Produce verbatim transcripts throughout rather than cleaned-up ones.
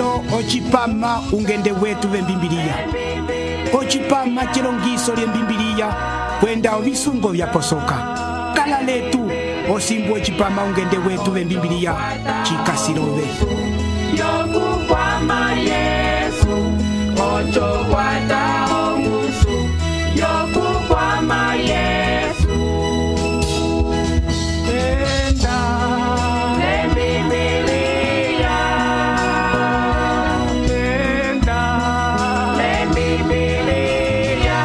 lelo ocipama ungende wetu vembimbiliya, ocipama cilongiso lyembimbiliya kwenda ovisungo vyaposoka. Kala letu osimbu ocipama ungende wetu vembimbiliya cikasilove yokukwama Yesu ocho kwata ongusu yokukwama Yesu enda lembibilia enda lembibilia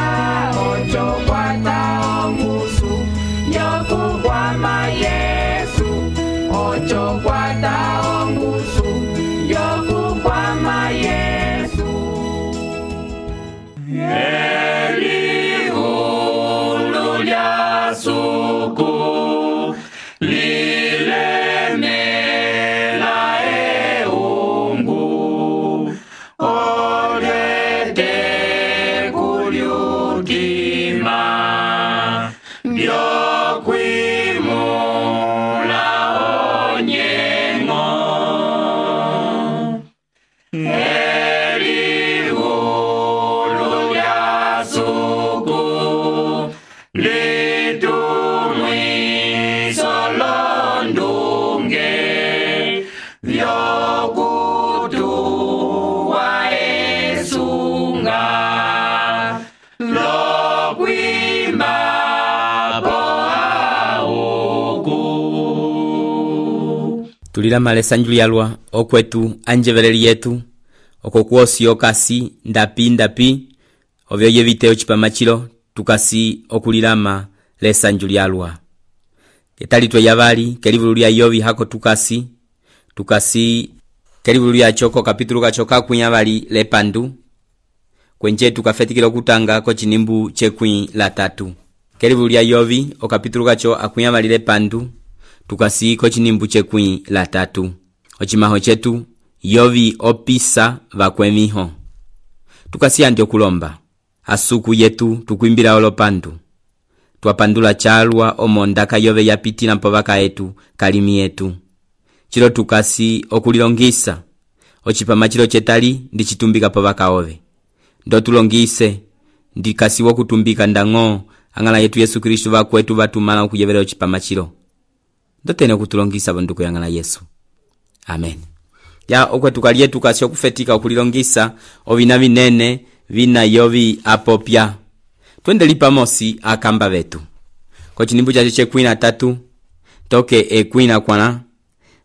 ocho kwata ongusu yokukwama Yesu ocho kwata ongusu yokukwama Yesu elihulu lya suku lilemela eungu olete kulyutima byokwimula onyengo elihulu lya suku litumwiso londunge vyokutuwa esunga lokwimba tulila malesa njulialwa okwetu anjeveleli yetu okokuosi okasi ndapi ndapi ovyo yevite ocipama cilo tukasi okulilama lesa njulialwa ketali twe yavali kelivulu lya Yovi hako tukasi tukasi kelivulu lya choko kapitulu kachoka kunyavali lepandu kwenje tukafetikilo kutanga ko cinimbu cekwi la tatu kelivulu lya Yovi okapitulu kacho akunyavali lepandu tukasi ko cinimbu cekwi la tatu ocimaho cetu Yovi opisa vakwemiho tukasi andi okulomba asuku yetu tukwimbila olopandu twapandula chalwa omondaka Yove yapitila mpavaka etu kalimi yetu chilo tukasi okulilongisa ocipama chilo chetali ndicitumbika pavaka ove ndo tulongise ndikasi wokutumbika ndango angala yetu Yesu Kristu vakwetu vatumala okuyevela ocipama chilo ndotene kutulongisa bonduko yangala Yesu amen ya okwetu kaliye tukasi okufetika okulilongisa ovina vinene vina Yovi apopya twende lipamosi akamba vetu ko cinimbu chacho cekwina tatu toke ekwina kwana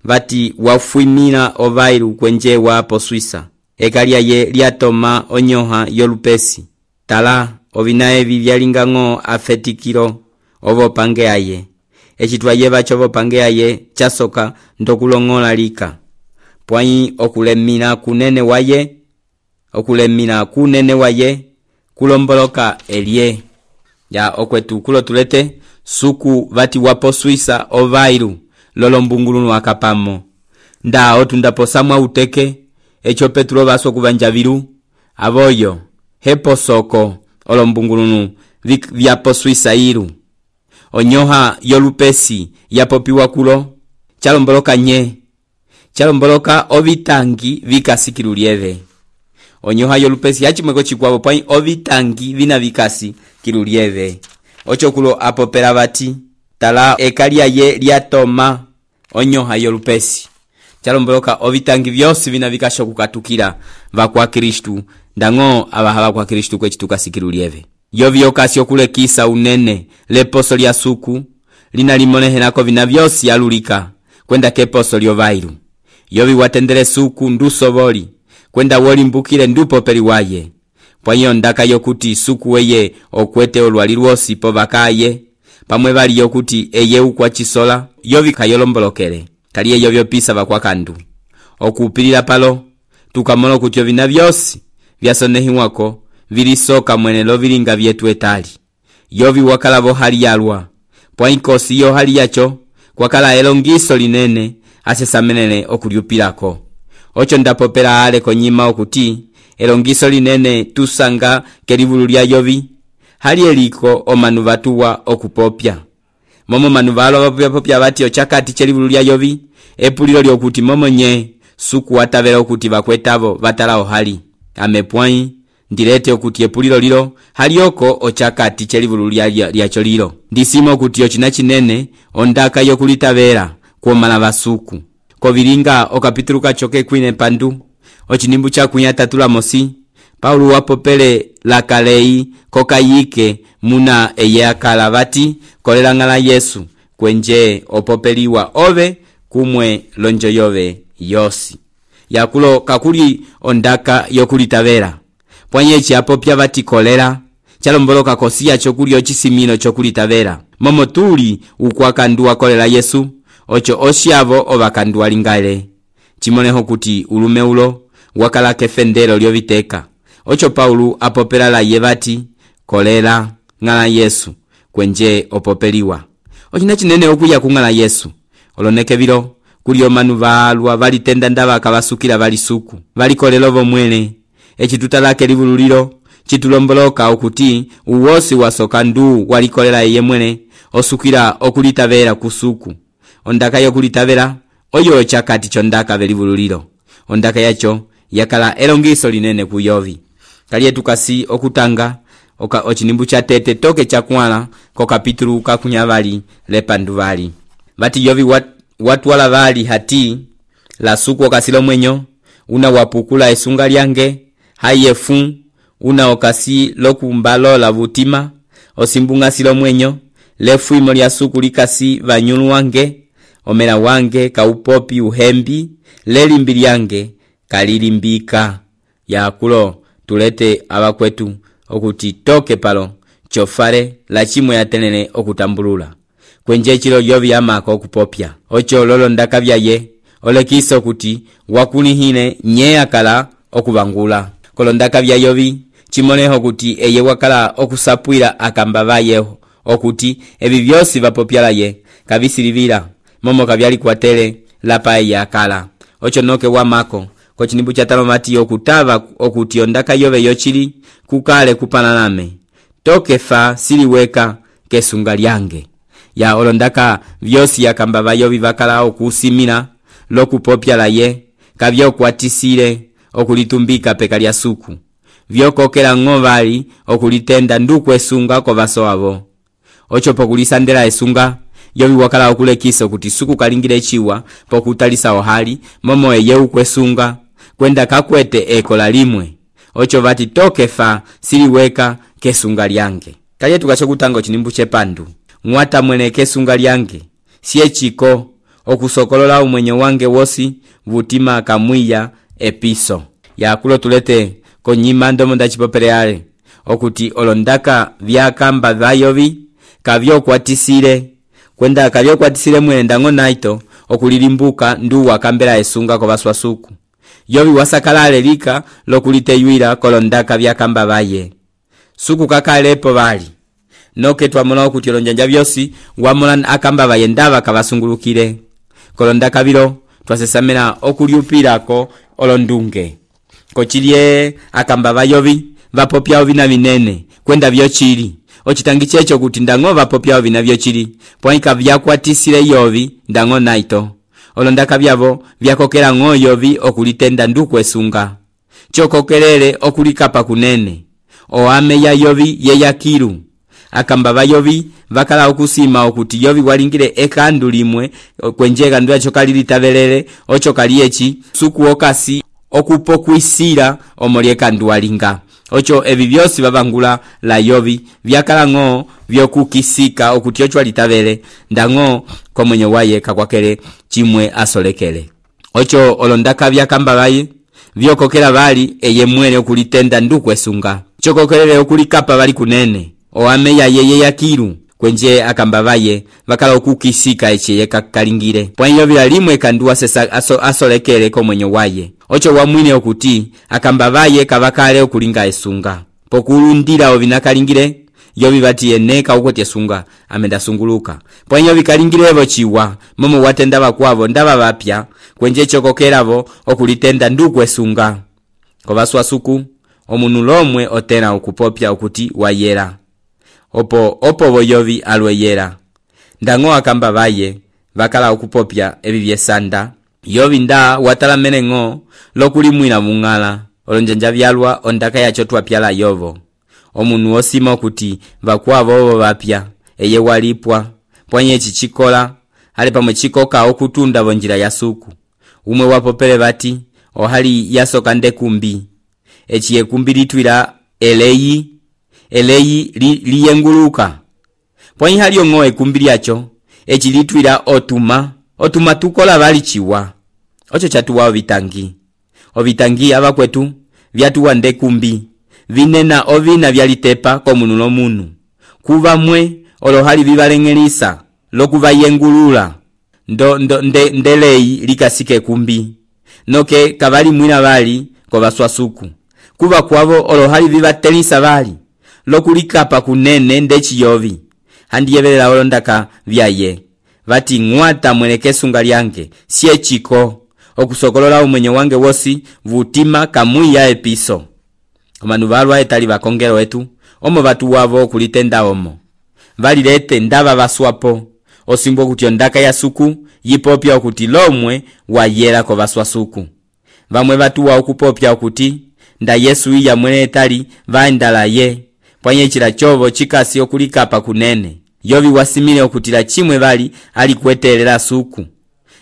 vati wafuimila ovailu kwenje wapo Swisa ekalia ye liatoma onyoha yolupesi tala ovina evi vyalingang'o afetikilo ovo pange aye ecitwa yeva chovo pange aye chasoka ndokulong'ola lika pwai okulemina kunene waye okulemina kunene waye kulomboloka elie ya okwetu kulo tulete suku vati wapo Swisa ovailu lolombungulunu akapamo nda otundaposamwa uteke echo Petro vaso kuvanjavilu avoyo hepo soko olombungulunu vyapo Swisa ilu onyoha yolupesi yapopiwa kulo chalomboloka nye chalomboloka ovitangi vikasikilulieve onyoha yolupesi hachimweko chikwavo pwai ovitangi vina vikasi kilulieve ocho kulo apopela vati tala ekalia ye liatoma onyoha yolupesi chalomboloka ovitangi vyosi vina vikasho kukatukila vakwa Kristu ndango abahala kwa Kristu kwechitu sikilulieve Yovi okasi okulekisa unene leposo lya suku lina limonehenako vina vyosi alulika kwenda keposo lyovailu Yovi watendele suku ndusovoli kwenda woli mbukile ndupo peli waye pwanyo ndaka yokuti suku weye okwete olwali lwosi povakaye pamwe vali yokuti eye ukwa chisola Yovi kayolombolokele kaliye Yovi opisa vakwa kandu okupilila palo tukamono kuti ovina vyosi vyasonehiwako vilisoka mwenelo vilinga vyetu etali Yovi wakalavo hali yalwa pwainkosi yo hali yacho kwakala elongiso linene asesamenele okulyupilako ocho ndapopela ale konyima okuti elongiso linene tusanga kelivulu lya Yovi hali eliko omanu vatuwa okupopya momo manu valo vapopya popya vati ochakati chelivulu lya Yovi epulilo lyokuti momo nye suku watavela okuti vakwetavo vatala ohali amepwai ndirete okuti epulilo lilo halioko ochakati chelivulu lyacho lilo ndisimo okuti ochina chinene ondaka yokulitavela kuomala vasuku kovilinga okapitulu kachoke kwine pandu ochinimbu chakunya tatula mosi Paulo wapopele lakalei kokayike muna eye akala vati kolela ngala Yesu kwenje opopeliwa ove kumwe lonjo yove yosi yakulo kakuli ondaka yokulitavela pwanye chiapopya vati kolera chalomboloka kosia chokuli ochisimino chokulitavela momo tuli ukwakanduwa kolela Yesu ocho oshiavo ovakanduwa lingale chimoneho kuti ulume ulo wakala kefendelo lyoviteka ocho Paulo apopela la yevati kolera ngala Yesu kwenje opopeliwa ochina chinene okuya kungala Yesu oloneke vilo kuli omanu valwa valitenda ndava kavasukila vali suku vali kolelo vomwele echituta lake livululilo chitulomboloka okuti uwosi wasoka ndu walikolela eye mwene osukila okulitavela kusuku ondaka yokulitavela oyo chakati chondaka velivululilo ondaka yacho yakala elongiso linene kuyovi kaliye tukasi okutanga oka ochinimbu cha tete toke chakwala ko kapitulu kakunyavali lepandu vali vati yovi wat, watu wala vali hati la suku okasilo mwenyo una wapukula esunga lyange hayefu una okasi lokumbalo la vutima osimbunga silo mwenyo lefu imo lya suku likasi vanyulu wange omela wange kaupopi uhembi lelimbi lyange kalilimbika yakulo tulete abakwetu okuti toke palo chofare la chimwe yatenene okutambulula kwenje chilo yovi amako okupopya ocho lolo ndakavya ye olekiso okuti wakunihine nye akala okubangula kolondakavya yovi chimoneho okuti eye wakala okusapwila akamba vayeho okuti ebi byosi vapopyala ye kabisilivila momo kabyali kwatele lapa eye akala ocho noke wamako kochinimbu cha tano mati okutava okuti ondaka yove yochili kukale kupanalame toke fa siliweka kesunga lyange ya olondaka vyosi yakamba vayovi vakala okusimina lokupopyala ye kavyo kwatisile okulitumbika peka lya suku vyokokela ng'ovali okulitenda nduku esunga ko vaso avo ocho pokulisandela esunga yovi wakala okulekisa kuti suku kalingile chiwa pokutalisa ohali momo eye ukwesunga kwenda kakwete ekola limwe ocho vati toke fa siliweka kesunga lyange kaliye tukachokutanga chinimbu chepandu mwata mwene kesunga lyange siye chiko okusokolola umwenye wange wosi vutima kamwiya episo yakulo tulete konyima ndomo ndachipopeleale okuti olondaka vyakamba vayovi kavyo kwatisile kwenda kavyo kwatisile mwene ndango naito okulilimbuka ndu wakambela esunga ko baswasuku yovi wasakalale lika lokuliteyuila kolondaka vyakamba vaye suku kakalepo vali noke twamola okuti olonjanja vyosi wamola akamba vaye ndava kavasungulukile kolondaka vilo twasesamela okuliupilako olondunge kochilye akamba vayovi vapopyao vina vinene kwenda vyochili ochitangi checho kuti ndango vapopyao vina vyochili pwaika vyakwatisile yovi ndango naito olondaka vyavo vyakokela ng'o yovi okulitenda nduku esunga chokokelele okulikapa kunene oame ya yovi yeyakilu akamba vayovi vakala okusima okuti yovi walingile ekandu limwe kwenje kandu yacho kalilitavelele ocho kaliechi suku okasi okupokwisila omolye kandu walinga ocho evi vyosi vavangula la yovi vyakala ng'o vyokukisika okuti ocho walitavele ndango komwenye waye kakwakele chimwe asolekele ocho olondaka vyakamba vaye vyokokela vali eye mwene okulitenda nduku esunga chokokelele okulikapa vali kunene oame ya yeye yakilu kwenje akamba vaye vakala okukisika echeye kakalingire pwanyo vila limwe kanduwa sesa aso, asolekele komwenye waye ocho wamwine okuti akamba vaye kavakale okulinga esunga pokulundila ovinakalingire yovi vati eneka ukoti esunga amenda sunguluka pwanyo vikalingirevo chiwa momo watenda vakwavo ndava vapya kwenje chokokelavo okulitenda nduku esunga kovaswa suku omunu lomwe otena okupopya okuti wayera opo opo boyovi alweyera ndango akamba vaye vakala okupopya ebi byesanda yovi nda watala meneng'o lokulimwila mung'ala olonjanja vyalwa ondaka yacho twapyala yovo omunu osima okuti vakwavo ovo vapya eye walipwa pwanye chichikola ali pamwe chikoka okutunda vonjira ya suku umwe wapopele vati ohali yasoka ndekumbi echi yekumbi litwila eleyi eleyi li, liyenguluka pwanye hali yong'o ekumbi lyacho echi litwila otuma otuma tukola vali chiwa ocho chatuwa ovitangi ovitangi ava kwetu vyatuwa ndekumbi vinena ovina vyalitepa komunu lomunu kuva mwe olohali vivaleng'elisa lokuva yengulula ndo, ndo nde, ndeleyi likasike kumbi noke kavali mwina vali kovaswasuku kuva kwavo olohali vivatelisa vali lokulikapa kunene ndechiyovi handiyevelela olondaka vyaye vati ng'wata mweleke sunga lyange sie chiko okusokolola umwenye wange wosi vutima kamwiya episo omanu valwa etali vakongelo wetu omo vatu wavo kulitenda omo valilete ndava vaswapo osimbo kuti ondaka ya suku yipopya okuti lomwe wayela ko vaswasuku vamwe vatu wa okupopya okuti nda Yesu iya mwene etali vaendala ye pwanye chila chovo chikasi okulikapa kunene yovi wasimile okutila chimwe vali ali kwetelela suku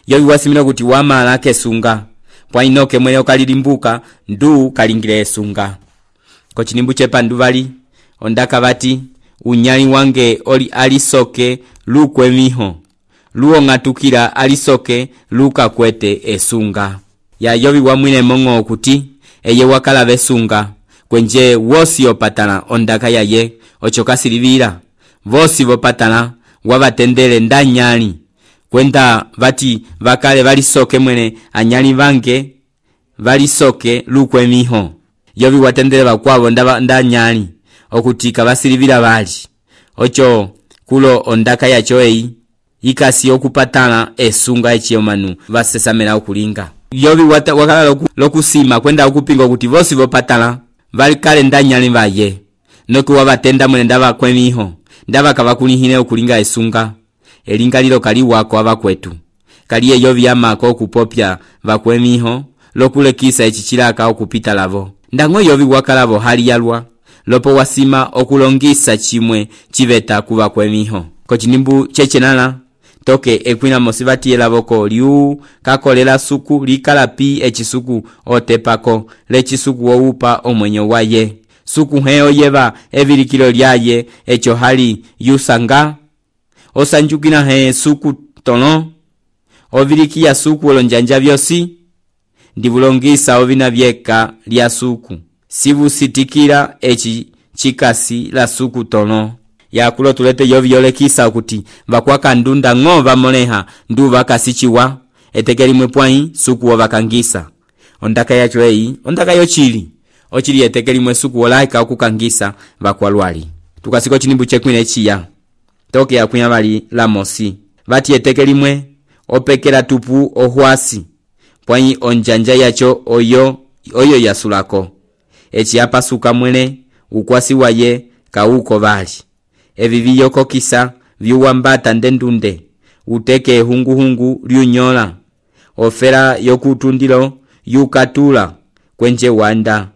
yovi wasimile okuti wamala kesunga pwainoke mwene okalilimbuka ndu kalingile esunga kochinimbu chepandu vali ondaka vati unyali wange oli alisoke lukwe miho luo ngatukila alisoke luka kwete esunga ya yovi wamwine mongo okuti eye wakala vesunga kwenje wosi opatana ondaka yaye ochokasilivira vosi vopatana wavatendele ndanyali kwenda vati vakale valisoke mwene anyali vange valisoke lukwe miho yovi watendele vakwavo ndanyali okuti kavasilivira vali ocho kulo ondaka yacho eyi ikasi okupatana esunga echiyomanu vasesamela okulinga yovi wata, wakala loku, lokusima kwenda okupinga okuti vosi vopatana vali kale ndanyali vaye noku wavatenda mwene ndava kwemiho ndava kavakulihine okulinga esunga elinga lilo kali wako ava kwetu kaliye yovi yamako okupopya vakwemiho lokulekisa echichilaka okupita lavo ndango yovi wakalavo hali yalwa lopo wasima okulongisa chimwe chiveta kuva kwemiho kochinimbu chechenala toke ekwina mosivati yelavoko liu kakolela suku likalapi echisuku otepako lechisuku oupa omwenyo waye suku heo yeva evilikilo lyaye echo hali yusanga osanjukina he suku tono ovilikia suku olonjanja vyosi ndivulongisa ovina vyeka lya suku sivusitikila echi chikasi la suku tono yakulo tulete yovi yolekisa okuti vakwaka ndunda ng'o vamoleha ndu vakasichiwa etekeli mwepwai suku wovakangisa ondaka yacho eyi ondaka yochili ochili etekeli mwe suku wolaika okukangisa vakwalwali tukasiko chinimbu chekwine chiya toke yakunya vali lamosi vati etekeli mwe opekela tupu ohwasi pwai onjanja yacho oyo oyo yasulako echi apasuka mwene ukwasi waye kauko vali evi viyokokisa vyuwambata ndendunde uteke hungu hungu lyunyola ofera yokutundilo yukatula kwenje wanda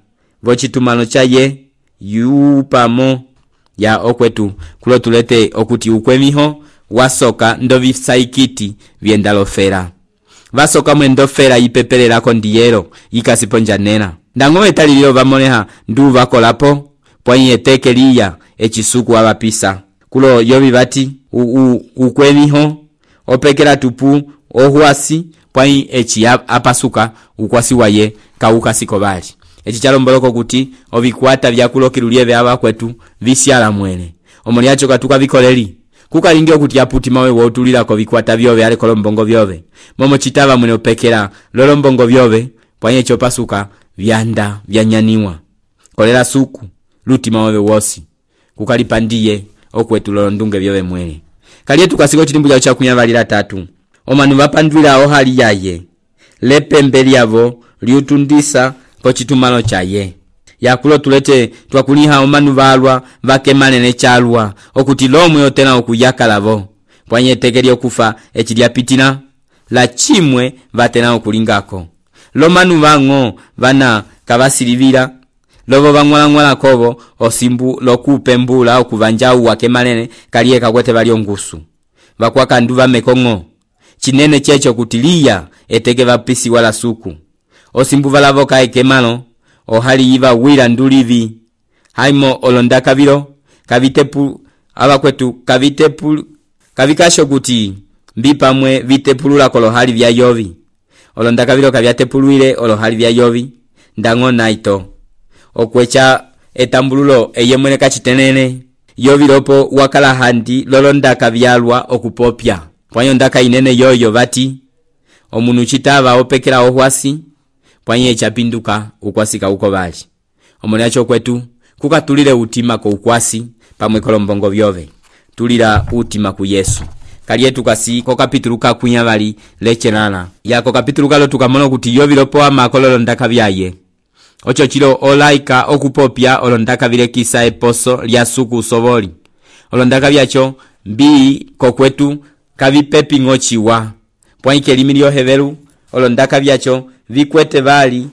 vochitumano chaye yupamo ya okwetu kulo tulete okuti ukwemiho wasoka ndovisaikiti vyendalofera vasoka mwendofera yipepelelako ndiyero yikasiponjanena ndango etalililo vamoleha ndu vakolapo pwai eteke liya echisuku avapisa kulo yovi vati ukwemiho opekela tupu ohwasi pwai echi apasuka ukwasi waye kaukasiko vali echi chalomboloko kuti ovikwata vyakulokilulieve ava kwetu visyala mwene omoliacho katuka vikoleli kukalingi okuti aputi mawe wotulilako vikwata vyove ale kolombongo vyove momo chitava mwene opekela lolombongo vyove pwai echo pasuka vyanda vyanyaniwa kolela suku lutima wewe wosi kukalipandiye okwetu lolondunge vyove mwene kaliye tukasiko chilimbu chao chakunya valila tatu omanu vapandwila aho hali yaye lepembe lyavo liutundisa pochitumano chaye yakulo tulete twakuliha omanu valwa vakemanene chalwa okuti lomwe otena okuyakalavo pwanye tekeli okufa echilyapitila la chimwe vatena okulingako. Lomanu vang'o vana kavasilivila lovo vang'wala kovo osimbu lokupembula okuvanja uwake manene kaliye kakwete vali ongusu vakwaka nduva mekong'o chinene checho kutiliya eteke vapisi wala suku osimbu valavo kaekemano ohali iva wila ndulivi haimo olondaka vilo kavitepu abakwetu kavitepu kavikasho kuti mbipamwe vitepulula kolohali vya yovi olondaka vilo kavyatepuluile olohali vya yovi ndang'o naito okwecha etambululo eyemwene kachitenene yovilopo wakala handi lolondaka vyalwa okupopya pwanyo ndaka inene yoyo vati omunu chitava opekela ohwasi pwanyo echapinduka ukwasika uko vali omone acho kwetu kukatulile utima ko ukwasi pamwe kolombongo vyove tulira utima ku Yesu kaliye tukasi ko kapitulu ka kunya vali lechenana ya ko kapitulu kalo tukamona kuti yovilopo amakololo ndaka vyaye ocho chilo olaika okupopya olondaka vile kisa eposo lya suku soboli olondaka vyacho mbi kokwetu kavipepi ngochiwa pwaike limilio hevelu olondaka vyacho vikwete vali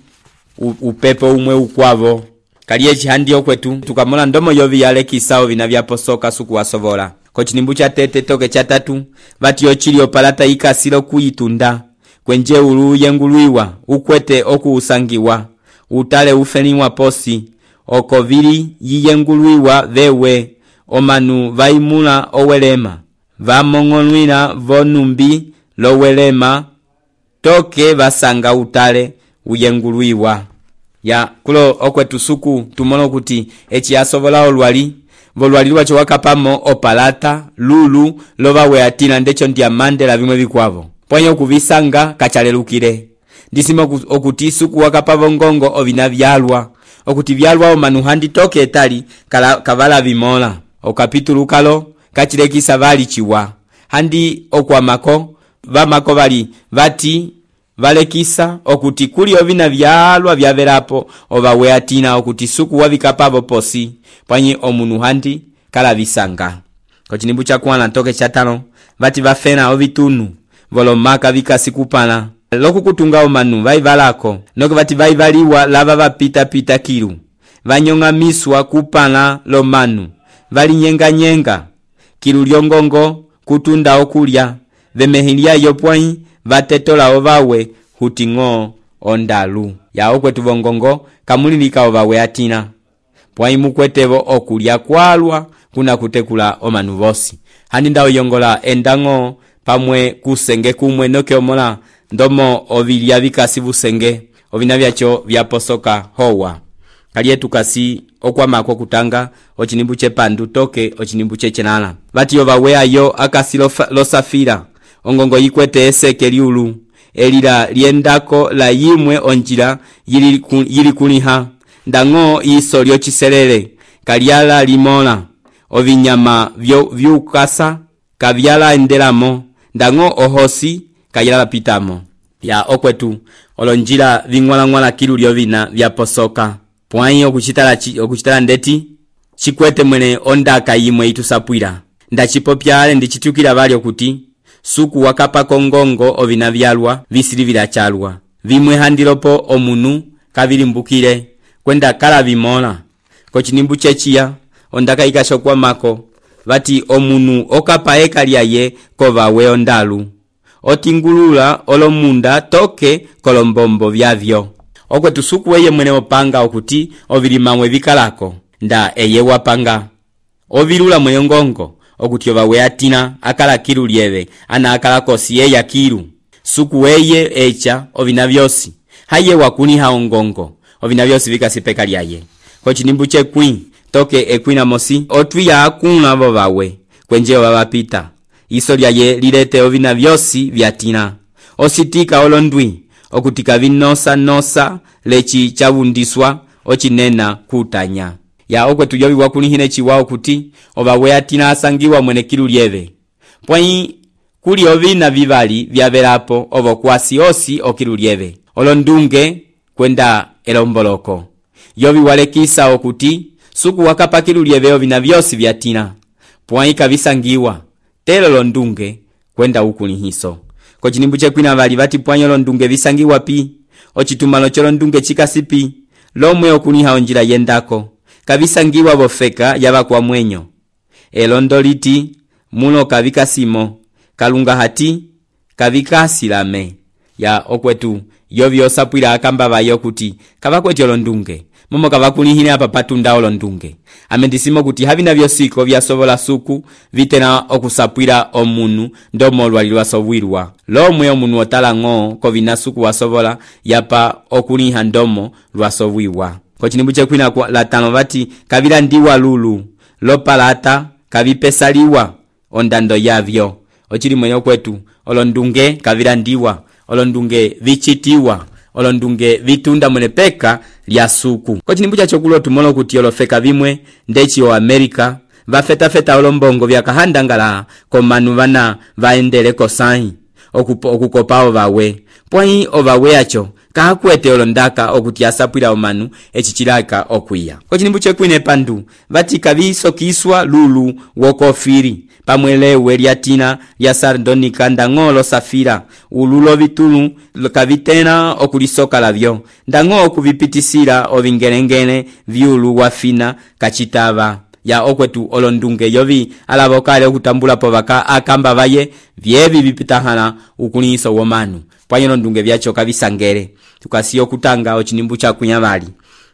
upepo umwe ukwavo kaliye chihandi okwetu tukamona ndomo yovi yale kisao vinavyaposoka suku wasovola kochinimbu cha tete toke cha tatu vati ochili opalata ikasilo kuitunda kwenje ulu yenguluiwa ukwete okuusangiwa utale ufeniwa posi okovili yiyenguluiwa vewe omanu vaimula owelema vamong'onwila vonumbi lowelema toke vasanga utale uyenguluiwa ya kulo okwetu suku tumono kuti echi asovola olwali volwali lwacho wakapamo opalata lulu lovawe atina ndecho ndiamande la vimwe vikwavo pwanyo kuvisanga kachalelukile ndisima okuti suku wakapavo ngongo ovina vyalwa okuti vyalwa omanu handi toke etali kala, kavala vimola okapitulu kalo kachilekisa vali chiwa handi okwamako vamako vali vati valekisa okuti kuli ovina vyalwa vyavelapo ovawe atina okuti suku wavikapavo posi pwanyi omunu handi kala visanga kochinimbu cha kwana toke cha tano vati vafena ovitunu volomaka vikasikupana lokukutunga omanu vaivalako noke vati vaivaliwa lava vapita pita kilu vanyong'amiswa kupana lomanu valinyenga nyenga kilu lyongongo kutunda okulya vemehilya yopwai vatetola ovawe huting'o ondalu ya okwetu vongongo kamulilika ovawe atina pwai mukwetevo okulya kwalwa kuna kutekula omanu vosi handi ndao yongola endang'o pamwe kusenge kumwe noke omola ndomo ovilya vikasi vusenge ovina vyacho vyaposoka howa kaliye tukasi okwamako kutanga ochinimbu chepandu toke ochinimbu chechenana vati ovawe ayo akasi losafira ongongo yikwete eseke liulu elila liendako la yimwe onjila yili, yili kuliha ndang'o iso lyochiselele kalyala limola ovinyama vyukasa kavyala endelamo ndang'o ohosi kayala pitamo ya okwetu olonjila ving'wala-ng'wala kilu lyovina vyaposoka pwanyi okuchitala chi, okuchitala ndeti chikwete mwene ondaka yimwe itusapwila ndachipopyale ndichitukila vali okuti suku wakapa kongongo ovina vyalwa visilivila chalwa vimwe handilopo omunu kavilimbukile kwenda kala vimola kochinimbu chechiya ondaka ikashokwa mako vati omunu okapa eka lyaye kovawe ondalu otingulula olomunda toke kolombombo vyavyo okwetu suku weye mwene opanga okuti ovilimamwe vikalako nda eye wapanga ovilula mwene ngongo okuti ovawe atina akala kilu lyeve ana akala kosi yeya kilu suku weye echa ovina vyosi haye wakuniha ongongo ovina vyosi vikasipeka lyaye kochinimbu chekwi toke ekwina mosi otwiya akuna vovawe kwenje ovavapita iso lyaye lilete ovina vyosi vyatina ositika olondwi okutika vinosa nosa lechi chavundiswa ochinena kutanya ya okwetu yovi wakunihine chiwao kuti ovawe atina asangiwa mwene kilu lyeve pwanyi kuli ovina vivali vyavelapo ovo kwasi osi okilu lyeve olondunge kwenda elomboloko yovi walekisa okuti suku wakapa kilu lyeve ovina vyosi vyatina pwanyi kavisangiwa telo londunge kwenda ukunihiso ko cinimbu cekwina vali vati pwanyo olondunge visangiwa pi, ocitumalo colondunge cikasipi, lomwe okuliha onjila yendako, kavisangiwa bofeka yava kwa mwenyo. Elondo liti, mulo kavikasimo, kalunga hati, kavikasilame. Ya okwetu, yovi osapwila akamba bayo kuti, kavakweti olondunge, momo kavakulihine apa patunda olondunge. Amendisimo kuti havina vyosiko vya sovola suku, vitena okusapwila omunu, ndomo lwali lwasovwilwa. Lomwe omunu otala ngo, kovina suku wasovola, yapa okuliha ndomo lwasovwiwa. Ko cinimbu cekwina la tano vati, kavila ndiwa lulu, lopalata, kavipesaliwa, ondando yavyo. Ochili mwenye kwetu, olondunge kavila ndiwa, olondunge vichitiwa, olondunge vitunda mwenepeka lya suku. Ko cinimbu chachokulo tumolo kuti olofeka vimwe, ndechi o Amerika, vafeta feta olombongo vya kahandangala, komanu vana vaendele kosahi, okukopao vawe. Pwai ovawe acho, kahakwete olondaka okuti asapwila omanu echichilaka okuya. Ko cinimbu cekwine pandu, vati kavisokiswa lulu wokofiri, pamwelewe lyatina lya sardonika ndang'olo safira, ululo vitulu kavitena okulisoka lavyo, ndang'o okuvipitisila ovingelengele vyulu wafina kachitava. Ya okwetu olondunge yovi alavokale okutambula povaka akamba vaye vyevi vipitahana ukuliso womanu. Pwanyo olondunge vyacho kavisangere, tukasiyo kutanga ocinimbu chakunya vali.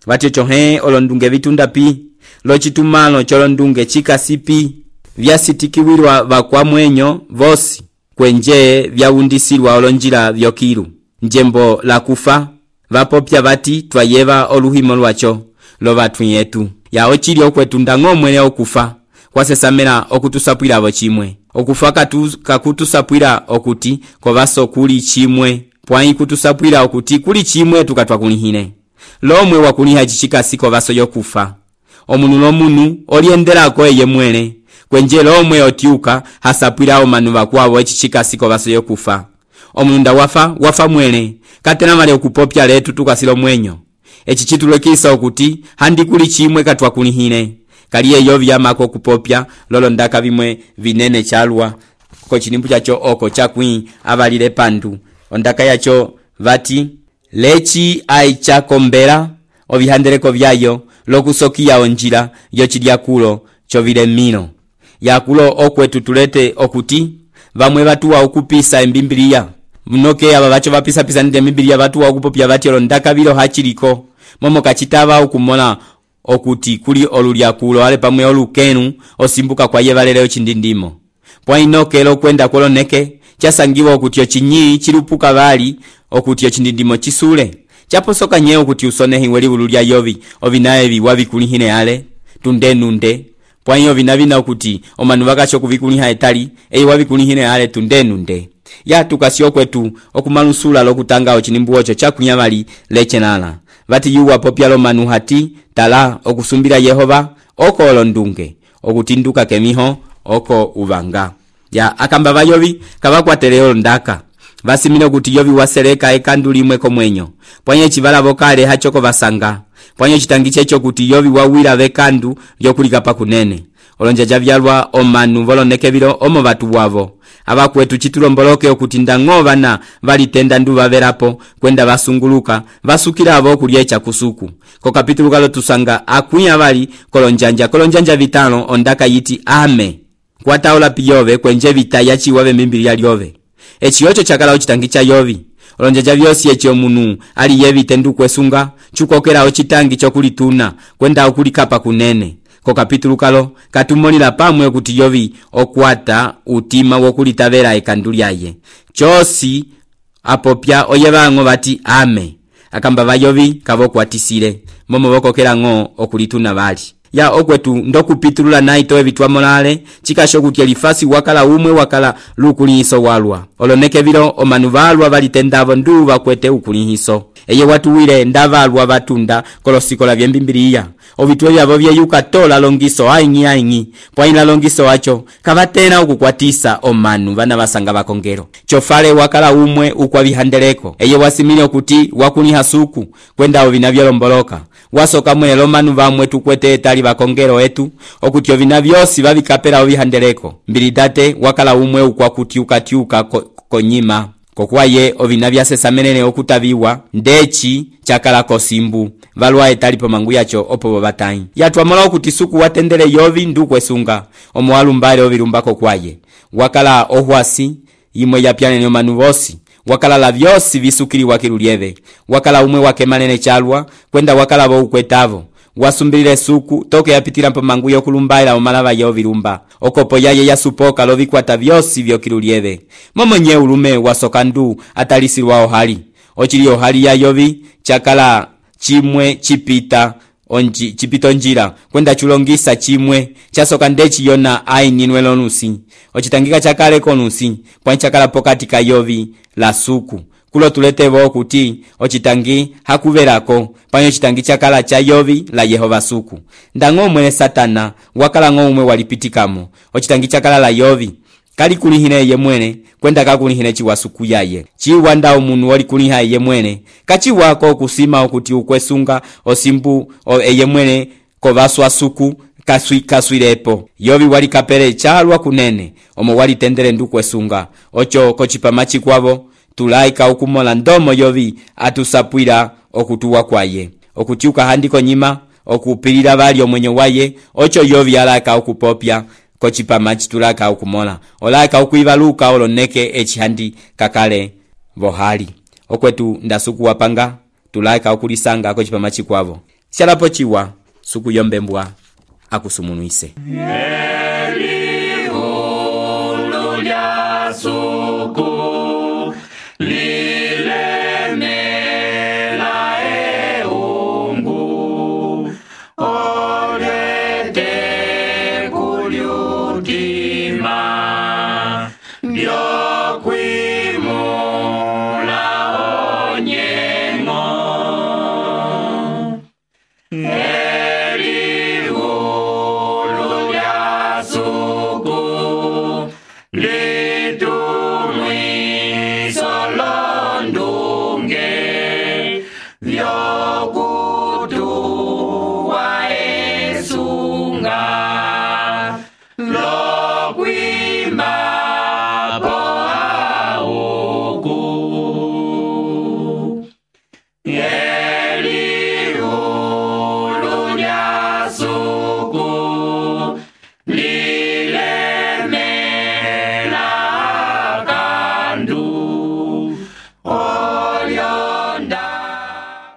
Vati chohe olondunge vitunda pi, lochitumalo cholondunge chikasipi, vyasitikiwilwa vakwa mwenyo vosi, kwenje vyaundisilwa olonjila vyokilu. Njembo la kufa, vapopya vati twayeva oluhimo lwacho, lo vatu yetu. Ya ochili okwetu ndang'o mwene okufa, kwa sesamela okutusapwila avo chimwe. Okufa katu, kakutusapwila okuti kovaso kuli chimwe, pwai kutusapwila okuti kuli chimwe tukatwa kulihine. Lomwe wakuliha chichikasi kovaso yokufa. Omunu lomunu oliendelako eye mwene, kwenje lomwe otiuka hasapwila omanu vakuavo echichikasi kovaso yokufa. Omunu nda wafa, wafa mwene, katena mali okupopya letu tukasilo mwenyo. Echichitulo kisa okuti handi kuli chimwe katwa kulihine. Kaliye yovi yamako kupopya lolo ndaka vimwe vinene chalwa. Ko cinimbu chacho oko chakwi avalile pandu. Ondaka yacho vati lechi aichakombela ovihandeleko vyayo lokusokia onjila yochilya kulo chovile mino. Ya kulo okwetu tulete okuti vamwe vatu wa ukupisa embimbilia. Mnoke aba bacho bapisa pisa nde mimbilia vatu wa ukupopya vati olondaka vilo hachiliko. Momo kachitava ukumona okuti kuli olulya kulo ale pamwe olukenu osimbuka kwa yevaleleo chindindimo. Pwa inoke elo kwenda koloneke chasangiwa okuti ochinyi chilupuka vali okuti ochindindimo chisule. Chaposoka nye okuti usonehi weli ululya yovi ovinae viwa vikulihine ale tunde nunde. Pwa iyo vinavina okuti omanu vakacho kuvikuliha etali eyi wavikulihine ale tunde nunde. Ya tukasio kwetu okumalusula lokutanga ochinimbu ocho chakunyamali lechenala. Vati yuwa popyalo manu hati tala okusumbila Yehova oko olondunge okutinduka kemiho oko uvanga. Ya akamba vayovi kavakwatele olondaka vasimile kuti yovi waseleka ekanduli mweko mwenyo. Pwanye chivala vokale hachoko vasanga. Pwanye chitangiche cho kuti yovi wawila vekandu lyokulika pa kunene. Olonjaja vyalwa omanu voloneke vilo omo vatu wavo. Ava kwetu chitulomboloke okuti ndang'o vana valitenda ndu vavelapo kwenda vasunguluka vasukila avo kulyecha kusuku. Ko kapitulu kalo tusanga akunya vali kolonjanja kolonjanja vitano ondaka yiti ame. Kwa taola piyove kwenje vita yachi wave mimbili ya liove. Echi yocho chakala uchitangicha yovi. Olonjaja vyosi echi omunu ali yevi tendu kwesunga chukokela ochitangi chokulituna kwenda okulikapa kunene. Ko kapitulu kalo katumolila pamwe kuti yovi okwata utima wokulitavela ekanduli aye. Chosi apopya oyevango vati ame. Akamba vayovi kavokwatisile. Momo vokokela ngo okulituna vali. Ya okwetu ndokupitulula naito evitwa molale chikasho kuti elifasi wakala umwe wakala lukulihiso walwa. Oloneke vilo omanu valwa valitendavo ndu vakwete ukulihiso. Eye watu wile ndavalwa vatunda kolosikola vyembimbiliya. Ovitwe vyavo vyeyuka tola longiso aingi aingi. Pwaina longiso wacho kavatena ukukwatisa omanu vana vasanga vakongero. Chofale wakala umwe ukwa vihandeleko. Eye wasimile okuti wakuliha suku kwenda ovina vyalomboloka. Wasoka mwele omanu vamwe tukwete etali vakongero etu okuti ovina vyosi vavikapela ovihandeleko. Mbilidate wakala umwe ukwa kutiuka tiuka ko, konyima. kokwaye ovina vyasesamenene okutaviwa ndeci chakala kosimbu valwa etali pamangu yacho opo bobatai yatwamola okuti suku watendele yovi ndukwesunga omo walumbale ovilumba kokwaye wakala ohwasi imwe yapyanene omanu vosi wakala la vyosi visukiliwa kilulieve wakala umwe wake manene chalwa kwenda wakala bo ukwetavo wasumbilile suku toke yapitila pamangu yokulumbaila omalava ya ovilumba okopo yaye yasupoka lovikwata vyosi vyokilulieve momonye ulume wasokandu atalisilwa ohali ochili ohali ya yovi chakala chimwe chipita onji chipito njira kwenda chulongisa chimwe chasoka ndeci yona aininwe lonusi ochitangika chakale konusi kwa chakala pokati ka yovi la suku kulo tuletevo kuti ochitangi hakuverako panyo chitangi chakala cha yovi la Yehova suku ndango mwene Satana wakala ngomwe walipitikamo ochitangi chakala la yovi kali kulihine ye mwene kwenda kakulihine chiwasuku yaye chiwanda omunu wali kuliha ye mwene kachiwako kusima okuti ukwesunga osimbu o eye mwene kovaswa suku kaswi kaswirepo yovi wali kapere chalwa kunene omo wali tendere ndukwesunga ocho kochipamachi kwavo tulaika ukumola ndomo yovi atusapwira okutuwa kwaye okutiuka handiko nyima okupilira bali omwenye waye ocho yovi alaka okupopya kochipamachi tulaka ukumola olaka ukuivaluka oloneke echihandi kakale vohali okwetu ndasuku wapanga tulaka okulisanga kochipamachi kwavo shalapo chiwa suku yombembwa akusumunuise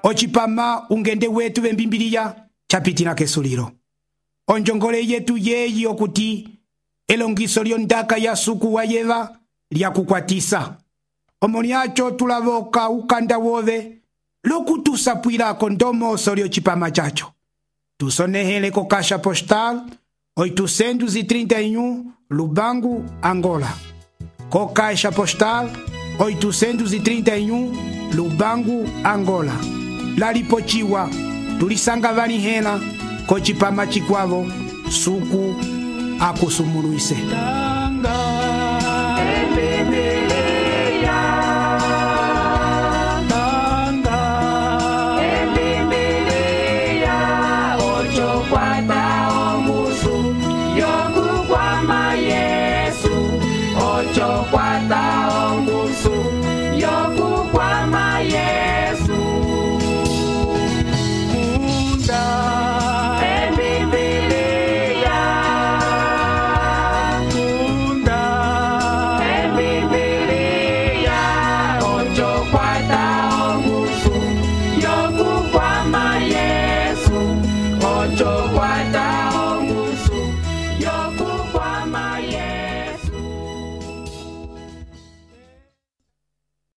ochipama ungende wetu vembimbiliya chapitina kesuliro onjongole yetu yeyi okuti elongiso lyondaka ya suku wa yeva lyakukwatisa omoni acho tulavoka ukanda wove lokutusapwilako ndomoso lyochipama chacho tusonehele ko kasha postal oitocentos e trinta e um Lubango, Angola. Co caixa postal oitocentos e trinta e um Lubango, Angola. Lalipochiwa tulisanga vani hena kochipama chikwavo suku akusumuruise.